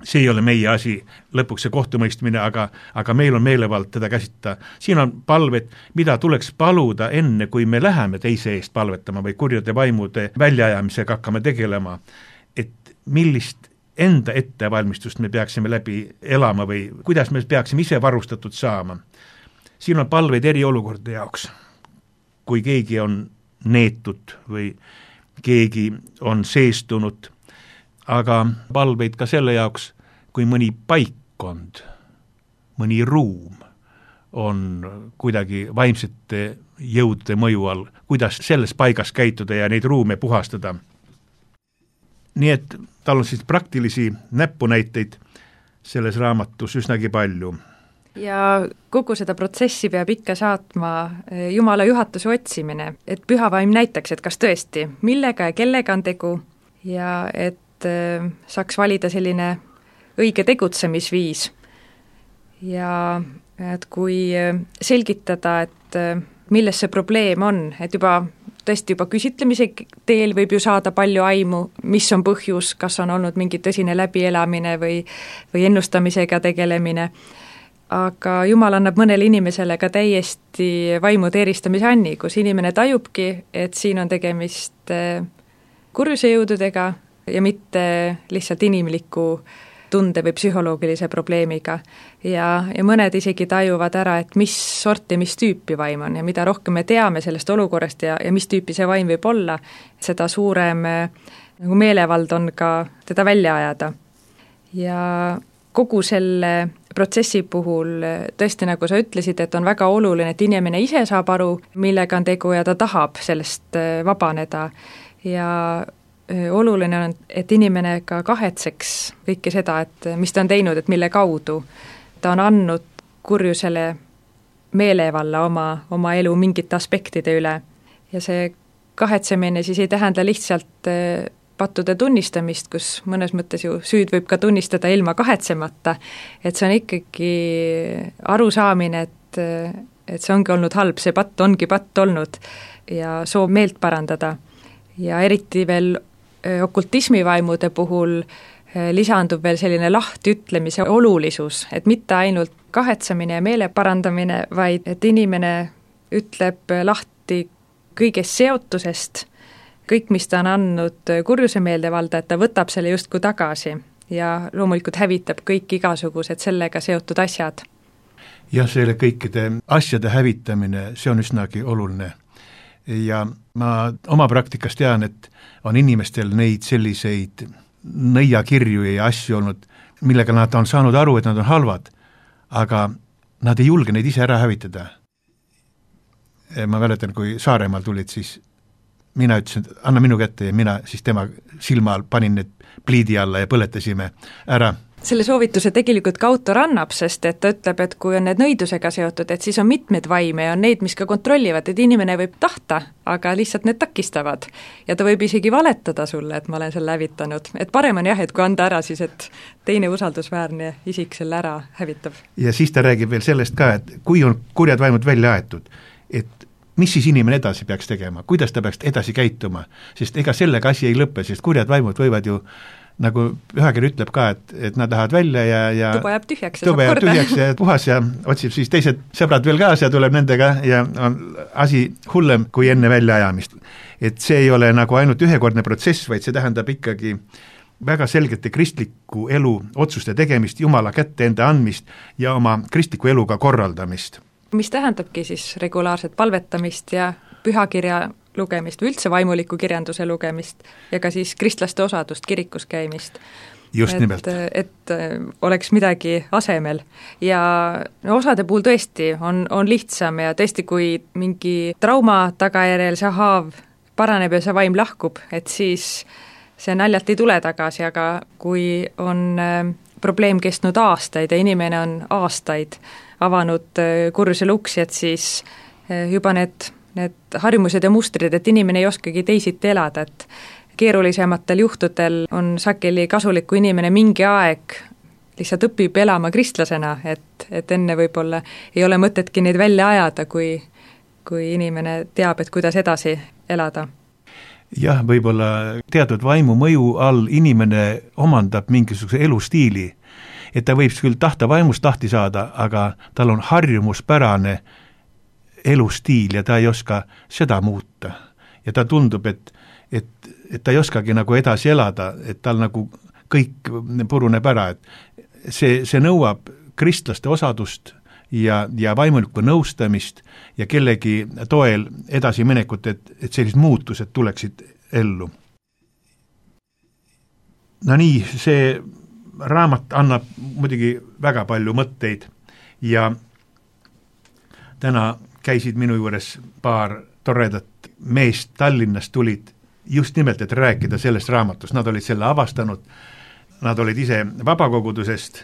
See ei ole meie asi, lõpuks see kohtumõistmine, aga, aga meil on meelevald teda käsitada. Siin on palved, mida tuleks paluda enne, kui me läheme teise eest palvetama või kurjade vaimude väljaajamisega hakkame tegelema, et millist enda ettevalmistust me peaksime läbi elama või kuidas me peaksime ise varustatud saama. Siin on palveid eri olukordade jaoks, kui keegi on neetud või keegi on seestunud, aga palveid ka selle jaoks, kui mõni paikkond, mõni ruum on kuidagi vaimsete jõude mõju all, kuidas selles paigas käituda ja neid ruume puhastada. Nii et tal on siis praktilisi näpunäiteid selles raamatus üsnagi palju. Ja kogu seda protsessi peab ikka saatma Jumala juhatuse otsimine, et püha vaim näitaks, et kas tõesti, millega ja kellega on tegu ja et saaks valida selline õige tegutsemisviis. Ja et kui selgitada, et milles see probleem on, et juba tõesti juba küsitlemise teel võib ju saada palju aimu, mis on põhjus, kas on olnud mingi tõsine läbielamine või, või ennustamisega tegelemine, aga Jumal annab mõnele inimesele ka täiesti vaimude eristamise anni, kus inimene tajubki, et siin on tegemist kurjuse jõududega ja mitte lihtsalt inimliku tunde või psühholoogilise probleemiga. Ja, ja mõned isegi tajuvad ära, et mis sorti, mis tüüpi vaim on ja mida rohkem me teame sellest olukorrast ja, ja mis tüüpi see vaim võib olla, seda suurem nagu meelevald on ka teda välja ajada. Ja kogu selle protsessi puhul tõesti, nagu sa ütlesid, et on väga oluline, et inimene ise saab aru, millega on tegu ja ta tahab sellest vabaneda ja oluline on, et inimene ka kahetseks kõike seda, et mis ta on teinud, et mille kaudu ta on andnud kurjusele meelevalla oma, oma elu mingite aspektide üle. Ja see kahetsemine siis ei tähenda lihtsalt pattude tunnistamist, kus mõnes mõttes ju süüd võib ka tunnistada ilma kahetsemata, et see on ikkagi arusaamine, et, et see ongi olnud halb, see patt ongi patt olnud ja soov meelt parandada. Ja eriti veel okultismivaimude puhul lisandub veel selline lahtiütlemise olulisus, et mitte ainult kahetsemine ja meele parandamine, vaid et inimene ütleb lahti kõigest seotusest, kõik, mis ta on andnud kurjuse meeldevalda, et ta võtab selle justkui tagasi ja loomulikult hävitab kõik igasugused sellega seotud asjad. jah, selle kõikide asjade hävitamine, see on üsnagi oluline. Ja ma oma praktikast tean, et on inimestel neid selliseid nõiakirju ja asju olnud, millega nad on saanud aru, et nad on halvad, aga nad ei julge neid ise ära hävitada. Ma mäletan, kui Saaremaal tulid, siis mina ütlesin, et anna minu kätte ja mina siis tema silma all panin need pliidi alla ja põletasime ära. Selle soovituse tegelikult ka autor annab, sest et ta ütleb, et kui on need nõidusega seotud, et siis on mitmeid vaime ja on neid, mis ka kontrollivad, et inimene võib tahta, aga lihtsalt need takistavad. Ja ta võib isegi valetada sulle, et ma olen selle hävitanud. Et parem on jah, et kui anda ära, siis et teine usaldusväärne isik selle ära hävitab. Ja siis ta räägib veel sellest ka, et kui on kurjad vaimud välja aetud, et mis siis inimene edasi peaks tegema, kuidas ta peaks edasi käituma, sest ega sellega asi ei lõppe, sest kurjad vaimud võivad ju nagu ühekiri ütleb ka, et, et nad lähevad välja ja, ja tuba jääb tühjaks ja tuba saab jääb korda. tühjaks ja puhas ja otsib siis teised sõbrad veel kaasa ja tuleb nendega ja on asi hullem kui enne väljaajamist. Et see ei ole nagu ainult ühekordne protsess, vaid see tähendab ikkagi väga selgete kristliku elu otsuste tegemist, Jumala kätte enda andmist ja oma kristliku eluga korraldamist. Mis tähendabki siis regulaarset palvetamist ja pühakirja lugemist või üldse vaimuliku kirjanduse lugemist ja ka siis kristlaste osadust kirikus käimist. Just et, nimelt. Et oleks midagi asemel. Ja no, osade puhul tõesti on, on lihtsam ja tõesti, kui mingi trauma tagajärjel see haav paraneb ja see vaim lahkub, et siis see naljalt ei tule tagasi, aga kui on äh, probleem kestnud aastaid ja inimene on aastaid avanud kurjusele uksi, et siis juba need, need harjumused ja mustrid, et inimene ei oskagi teisiti elada, et keerulisematel juhtudel on sageli kasulik, kui inimene mingi aeg lihtsalt õpib elama kristlasena, et, et enne võib-olla ei ole mõtetki neid välja ajada, kui, kui inimene teab, et kuidas edasi elada. Jah, võib-olla teatud vaimu mõju all inimene omandab mingisuguse elustiili, et ta võib küll tahta vaimust tahti saada, aga tal on harjumuspärane elustiil ja ta ei oska seda muuta. Ja ta tundub, et, et, et ta ei oskagi nagu edasi elada, et tal nagu kõik puruneb ära, et see, see nõuab kristlaste osadust ja, ja vaimulikku nõustamist ja kellegi toel edasi minekut, et, et sellised muutused tuleksid ellu. No nii, see raamat annab muidugi väga palju mõtteid ja täna käisid minu juures paar toredat meest Tallinnast tulid just nimelt, et rääkida sellest raamatust. Nad olid selle avastanud, nad olid ise vabakogudusest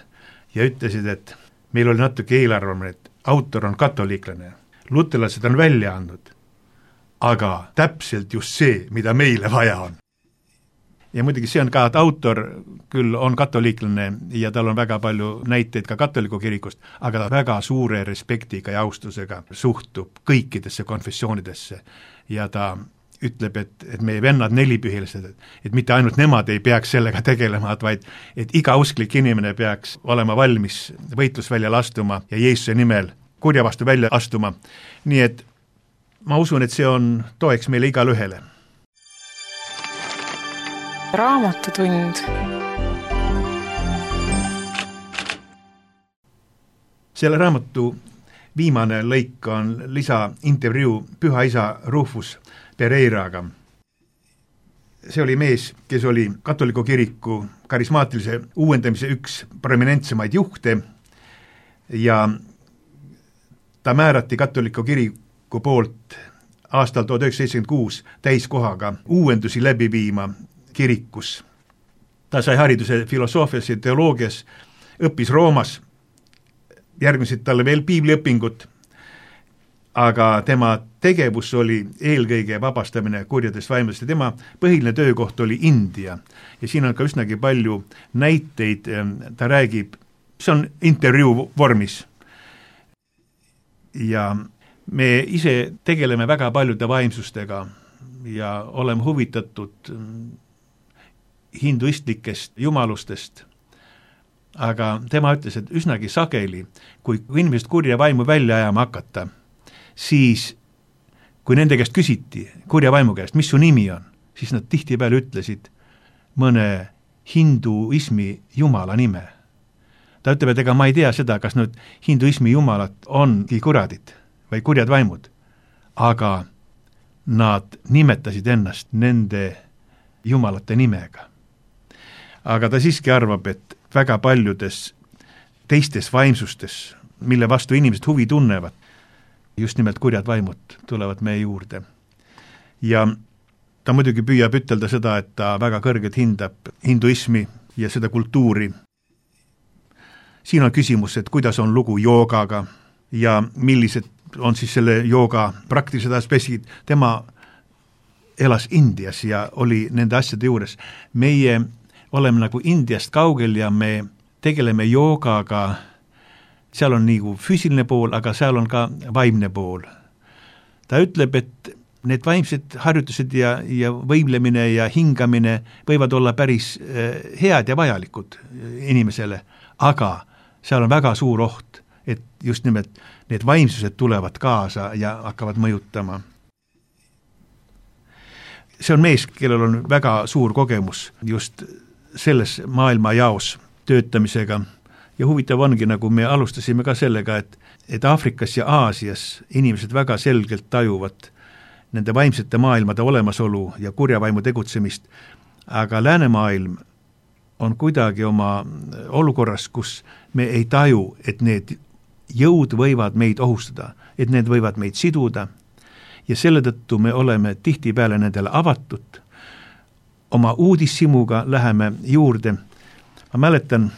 ja ütlesid, et meil oli natuke eelarvamine, et autor on katoliiklane, luterlased on välja andnud, aga täpselt just see, mida meile vaja on. Ja muidugi see on ka, et autor küll on katoliiklane ja tal on väga palju näiteid ka katoliku kirikust, aga ta väga suure respektiga ja austusega suhtub kõikidesse konfessioonidesse ja ta ütleb, et, et meie vennad nelipühilised, et, et mitte ainult nemad ei peaks sellega tegelema, vaid et iga usklik inimene peaks olema valmis võitlusväljal astuma ja Jeesuse nimel kurja vastu välja astuma. Nii et ma usun, et see on toeks meile igale ühele. Raamatutund. Selle raamatu viimane lõik on lisaintervjuu püha isa Rufus Pereiraga. See oli mees, kes oli katoliku kiriku karismaatilise uuendamise üks prominentsemaid juhte ja ta määrati katoliku kiriku poolt aastal tuhat üheksasada seitsekümmend kuus täiskohaga uuendusi läbi viima kirikus. Ta sai hariduse filosoofias ja teoloogias, õppis Roomas, järgmisid talle veel piibliõpingut, aga tema tegevus oli eelkõige vabastamine kurjadest vaimudest ja tema põhiline töökoht oli India. Ja siin on ka üsnagi palju näiteid, ta räägib, see on intervjuu vormis. Ja me ise tegeleme väga paljude vaimsustega ja oleme huvitatud hinduistlikest jumalustest, aga tema ütles, et üsnagi sageli, kui inimesed kurja vaimu välja ajama hakata, siis kui nende käest küsiti, kurja vaimu käest, mis su nimi on, siis nad tihtipeale ütlesid mõne hinduismi jumala nime. Ta ütleb, et ega ma ei tea seda, kas nüüd hinduismi jumalad ongi kuradid või kurjad vaimud, aga nad nimetasid ennast nende jumalate nimega. Aga ta siiski arvab, et väga paljudes teistes vaimsustes, mille vastu inimesed huvi tunnevad, just nimelt kurjad vaimud tulevad meie juurde. Ja ta muidugi püüab ütelda seda, et ta väga kõrgelt hindab hinduismi ja seda kultuuri. Siin on küsimus, et kuidas on lugu joogaga ja millised on siis selle jooga praktilised aspektid. Tema elas Indias ja oli nende asjade juures. Meie oleme nagu Indiast kaugel ja me tegeleme joogaga. Seal on nagu füüsiline pool, aga seal on ka vaimne pool. Ta ütleb, et need vaimsed harjutused ja, ja võimlemine ja hingamine võivad olla päris head ja vajalikud inimesele, aga seal on väga suur oht, et just nimelt need vaimsused tulevad kaasa ja hakkavad mõjutama. See on mees, kellel on väga suur kogemus just selles maailma jaos töötamisega. Ja huvitav ongi, nagu me alustasime ka sellega, et, et Aafrikas ja Aasias inimesed väga selgelt tajuvad nende vaimsete maailmade olemasolu ja kurjavaimu tegutsemist, aga läänemaailm on kuidagi oma olukorras, kus me ei taju, et need jõud võivad meid ohustada, et need võivad meid siduda ja selle tõttu me oleme tihtipeale nendele avatud. Oma uudishimuga läheme juurde. Ma mäletan,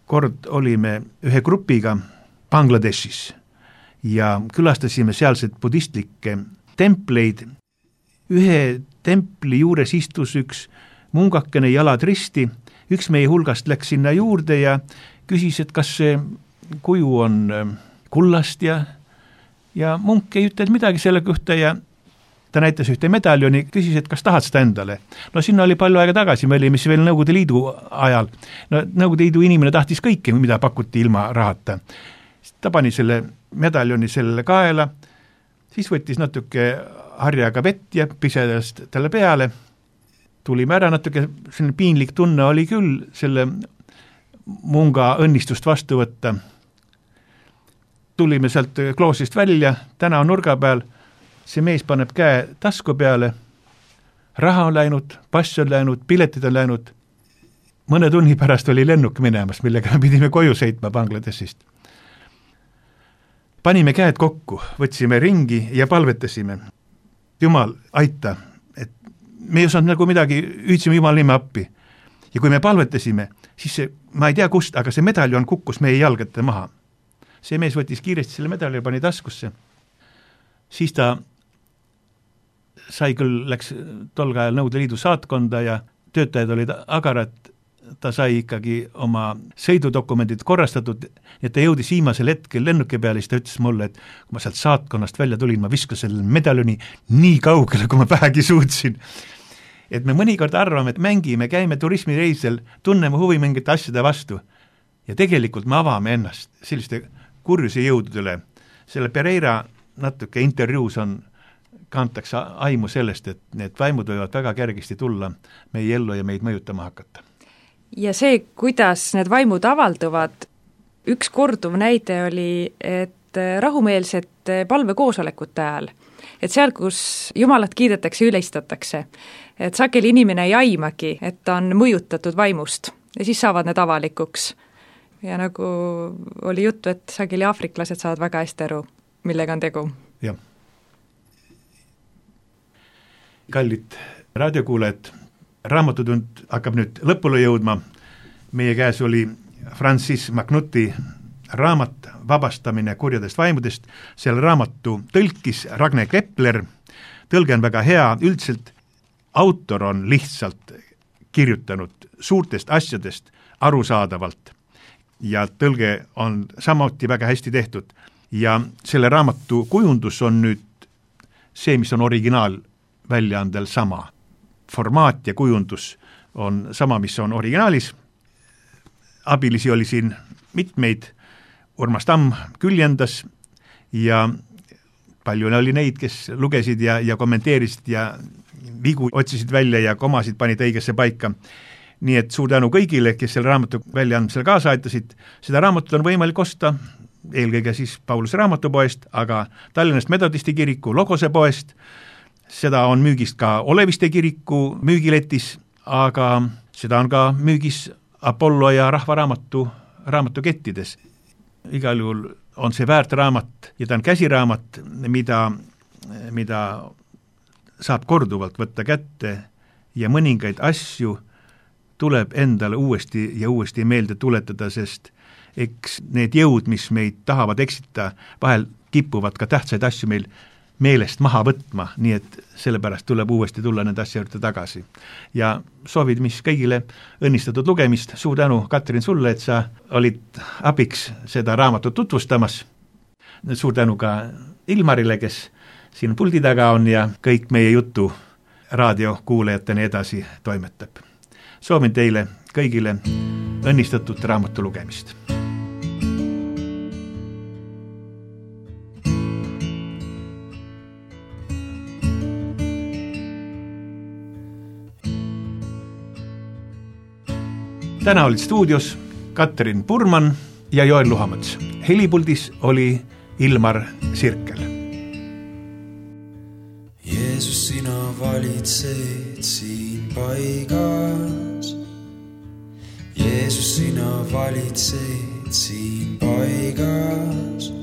kord olime ühe grupiga Bangladeshis ja külastasime sealseid budistlikke templeid. Ühe templi juures istus üks mungakene jalad risti, üks meie hulgast läks sinna juurde ja küsis, et kas see kuju on kullast ja, ja munk ei ütle midagi selle kohta ja ta näitas ühte medaljoni, küsis, et kas tahad seda endale. No sinna oli palju aega tagasi, me olime veel Nõukogude Liidu ajal. No, Nõukogude Liidu inimene tahtis kõike, mida pakuti ilma rahata. Ta pani selle medaljoni selle kaela, siis võttis natuke harjaga vett ja pisedas talle peale. Tulime ära natuke, selline piinlik tunne oli küll selle munga õnnistust vastu võtta. Tulime sealt kloosist välja, täna on nurga peal, see mees paneb käe tasku peale, raha on läinud, pass on läinud, piletid on läinud. Mõne tunni pärast oli lennuk minemas, millega me pidime koju sõitma Bangladeshist. Panime käed kokku, võtsime ringi ja palvetasime. Jumal, aita, et me ei osanud nagu midagi, hüüdsime Jumal nime appi. Ja kui me palvetasime, siis see, ma ei tea kust, aga see medaljon kukkus meie jalgade maha. See mees võttis kiiresti selle medaljon, pani taskusse. Siis ta sai küll, läks tol ajal Nõukogude Liidu saatkonda ja töötajad olid agarad, ta sai ikkagi oma sõidudokumendid korrastatud, et ta jõudis viimasel hetkel lennuki peale, siis ta ütles mulle, et kui ma sealt saatkonnast välja tulin, ma viskasin selle medaljoni nii kaugele, kui ma vähegi suutsin. Et me mõnikord arvame, et mängime, käime turismireisel, tunneme huvi mingite asjade vastu ja tegelikult me avame ennast selliste kurjuse jõududele. Selle Pereira natuke intervjuus on, kantakse aimu sellest, et need vaimud võivad väga kergesti tulla meie ellu ja meid mõjutama hakata. Ja see, kuidas need vaimud avalduvad, üks korduv näide oli, et rahumeelsete palvekoosolekute ajal, et seal, kus Jumalat kiidetakse, üleistatakse, et sageli inimene ei aimagi, et ta on mõjutatud vaimust ja siis saavad need avalikuks. Ja nagu oli juttu, et sageli aafriklased saavad väga hästi aru, millega on tegu. Jah. Kallid raadiokuulajad, raamatutund hakkab nüüd lõpule jõudma. Meie käes oli Francis Magnuti raamat Vabastamine kurjadest vaimudest. Selle raamatu tõlkis Ragne Kepler. Tõlge on väga hea, üldiselt autor on lihtsalt kirjutanud suurtest asjadest arusaadavalt ja tõlge on samuti väga hästi tehtud. Ja selle raamatu kujundus on nüüd see, mis on originaal väljaandel sama. Formaat ja kujundus on sama, mis on originaalis. Abilisi oli siin mitmeid, Urmas Tamm küljendas ja palju oli neid, kes lugesid ja, ja kommenteerisid ja vigu otsisid välja ja komasid panid õigesse paika. Nii et suur tänu kõigile, kes selle raamatu väljaandmisele kaasa aitasid. Seda raamatut on võimalik osta eelkõige siis Pauluse raamatupoest, aga Tallinnast Metodisti kiriku Logose poest. Seda on müügist ka Oleviste kiriku müügiletis, aga seda on ka müügis Apollo ja Rahvaraamatu raamatukettides. Igal juhul on see väärt raamat ja ta on käsiraamat, mida, mida saab korduvalt võtta kätte ja mõningaid asju tuleb endale uuesti ja uuesti meelde tuletada, sest eks need jõud, mis meid tahavad eksita, vahel kipuvad ka tähtsaid asju meil meelest maha võtma, nii et sellepärast tuleb uuesti tulla nende asja juurde tagasi. Ja soovid, mis kõigile õnnistatud lugemist, suur tänu, Katrin, sulle, et sa olid abiks seda raamatut tutvustamas. Suur tänu ka Ilmarile, kes siin puldi taga on ja kõik meie jutu raadiokuulajateni edasi toimetab. Soovin teile kõigile õnnistatud raamatu lugemist. Täna olid stuudios Katrin Purman ja Joel Luhamets. Helipuldis oli Ilmar Sirkel. Jeesus, sina valitsed siin paigas. Jeesus, sina valitsed siin paigas.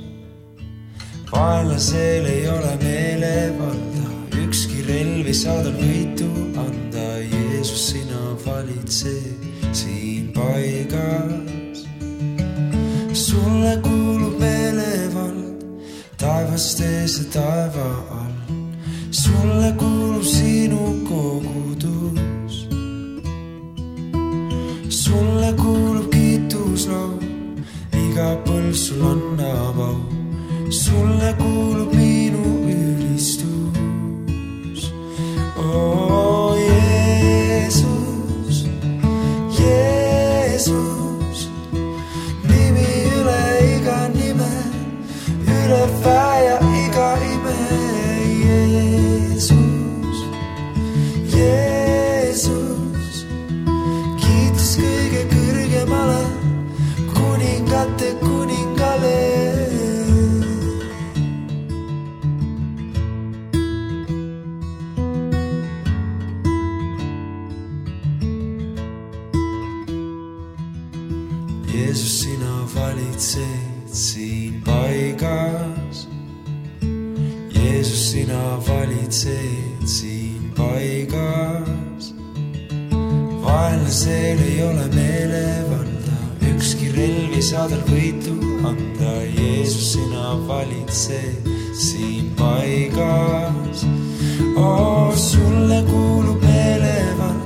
Vaenlasel ei ole meelevalda, ükski relvi saadal võitu anda. Jeesus, sina valitsed siin paigas. Sulle kuulub meelevald taevastes ja taeva all. Sulle kuulub sinu kogudus. Sulle kuulub kiituslaul, iga põlv sul annab au. Sulle kuulub minu ülistus. Oh Jeesus, Jeesus, nimi üle iga nime, üle väja iga ime. Jeesus, Jeesus, kiitus kõige kõrgemale, kuningate kuningale. Jeesus, sina valitsed siin paigas. Jeesus, sina valitsed siin paigas. Vaenlasel ei ole meelevalda, ükski relvi saadal võitu anda. Jeesus, sina valitsed siin paigas. Oh, sulle kuulub meelevald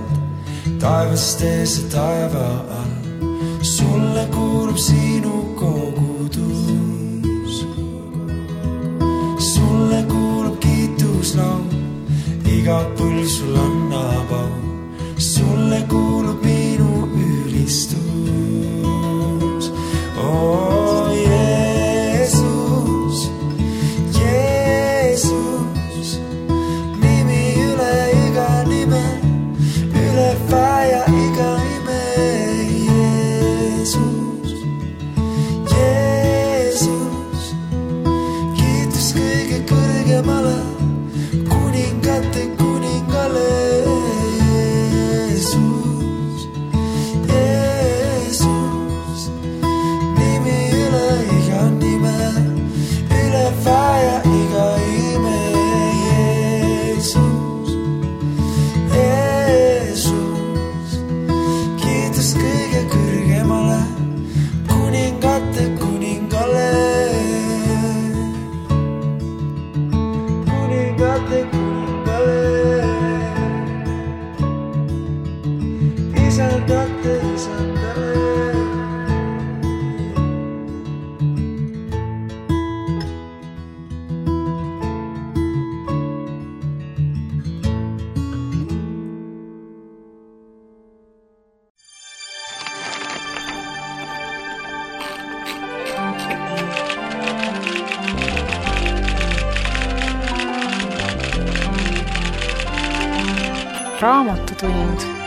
taevastes ja taeva all. Sulle kuulub sinu kogudus. Sulle kuulub kiituslaul, iga põlv sul annab au. Sulle kuulub minu ülistus. Oh Jeesus, Jeesus, nimi üle iga nime, üle väja iga ime. Jeesus, Jeesus. Raamatutund.